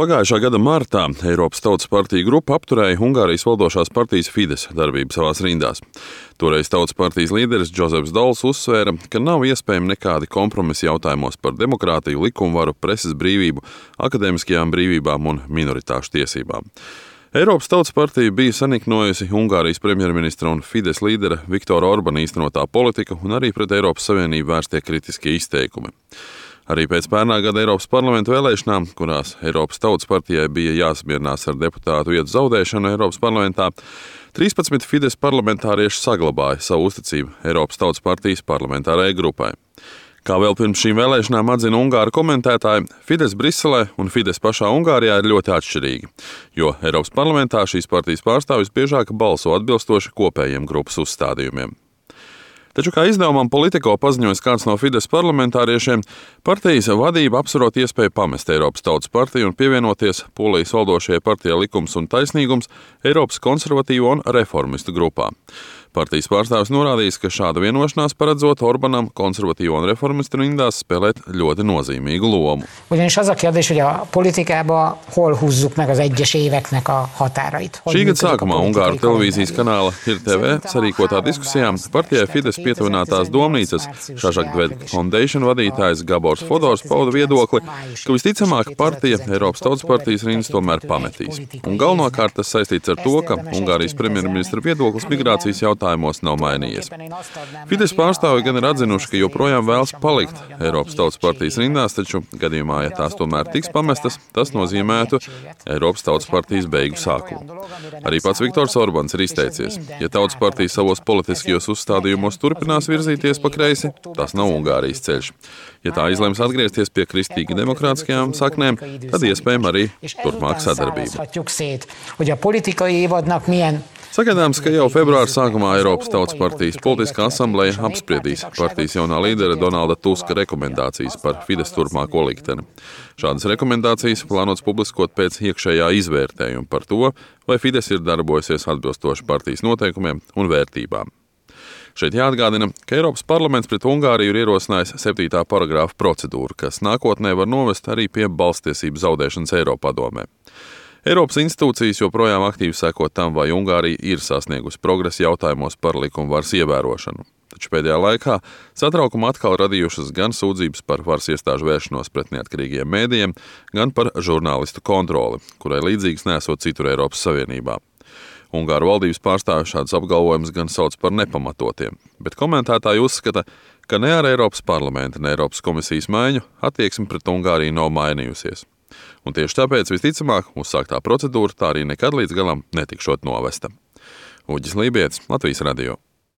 Pagājušā gada martā Eiropas Tautas partija grupa apturēja Ungārijas valdošās partijas Fidesz darbību savās rindās. Toreiz Tautas partijas līderis Džozefs Dols uzsvēra, ka nav iespējami nekādi kompromisi jautājumos par demokrātiju, likumvaru, preses brīvību, akadēmiskajām brīvībām un minoritāšu tiesībām. Eiropas Tautas partija bija saniknojusi Ungārijas premjerministra un Fidesz līdera Viktora Orbana īstenotā politika un arī pret Eiropas Savienību vērstie kritiskie izteikumi. Arī pēc pērnā gada Eiropas parlamenta vēlēšanām, kurās Eiropas Tautas partijai bija jāsamierinās ar deputātu vietu zaudēšanu Eiropas parlamentā, 13 Fidesz parlamentārieši saglabāja savu uzticību Eiropas Tautas partijas parlamentārajai grupai. Kā vēl pirms šīm vēlēšanām atzina ungāru komentētāji, Fidesz Briselē un Fidesz pašā Ungārijā ir ļoti atšķirīgi, jo Eiropas parlamentā šīs partijas pārstāvjus biežāk balso atbilstoši kopējiem grupas uzstādījumiem. Taču, kā izdevumam Politico paziņojas kāds no Fidesz parlamentāriešiem, partijas vadība apsverot iespēju pamest Eiropas Tautas partiju un pievienoties Polijas valdošajai partijai Likums un taisnīgums Eiropas konservatīvo un reformistu grupā. Partijas pārstāvis norādījis, ka šāda vienošanās paredzot Orbanam konservatīvo un reformistu rindās spēlēt ļoti nozīmīgu lomu. Ugyanis az a kérdés, hogy a politikában hol húzzuk meg az egyes éveknek a határait. Šī gada sākumā Ungāru televīzijas kanāla IRTV sarīkotā diskusijā partijai Fidesz pietuvinātās domnīcas Šašakdved Foundation vadītājs Gabors Fodors pauda viedokli, ka visticamāk partija Eiropas Tautas partijas rindas tomēr pametīs. Un galvenokārt tas saistīts ar to, ka Ungārijas premjerministra viedoklis migrācijas jautājumos nav mainījies. Fidesz pārstāvi gan ir atzinuši, ka joprojām vēlas palikt Eiropas Tautas partijas rindās, taču gadījumā, ja tās tomēr tiks pamestas, tas nozīmētu Eiropas Tautas partijas beigu sākumu. Arī pats Viktors Orbans ir izteicies, ja Tautas partija savos politiskajos uzstādījumos turpinās virzīties pa kreisi, tas nav Ungārijas ceļš. Ja tā izlems atgriezties pie kristīgi demokrātiskajām saknēm, tad iespējama arī turpmāk sadarbība. Sagaidāms, ka jau februāra sākumā Eiropas Tautas partijas politiskā asambleja apspriedīs partijas jaunā līdera Donalda Tuska rekomendācijas par Fidesz turpmāko likteni. Šādas rekomendācijas plānots publiskot pēc iekšējā izvērtējuma par to, vai Fidesz ir darbojusies atbilstoši partijas noteikumiem un vērtībām. Šeit jāatgādina, ka Eiropas parlaments pret Ungāriju ir ierosinājis 7. paragrāfa procedūru, kas nākotnē var novest arī pie balsstiesību zaudēšanas Eiropadomē. Eiropas institūcijas joprojām aktīvi seko tam, vai Ungārija ir sasniegusi progresu jautājumos par likumvaras ievērošanu. Taču pēdējā laikā satraukumu atkal radījušas gan sūdzības par varas iestāžu vēršanos pret neatkarīgiem mēdījiem, gan par žurnālistu kontroli, kurai līdzīgs nesot citur Eiropas Savienībā. Ungāru valdības pārstāvji šādus apgalvojumus gan sauc par nepamatotiem, bet komentētāji uzskata, ka ne ar Eiropas parlamenta, ne Eiropas komisijas maiņu attieksme pret Ungāriju nav mainījusies. Un tieši tāpēc visticamāk uzsāktā procedūra tā arī nekad līdz galam netikšot novesta. Uģis Lībietis, Latvijas radio.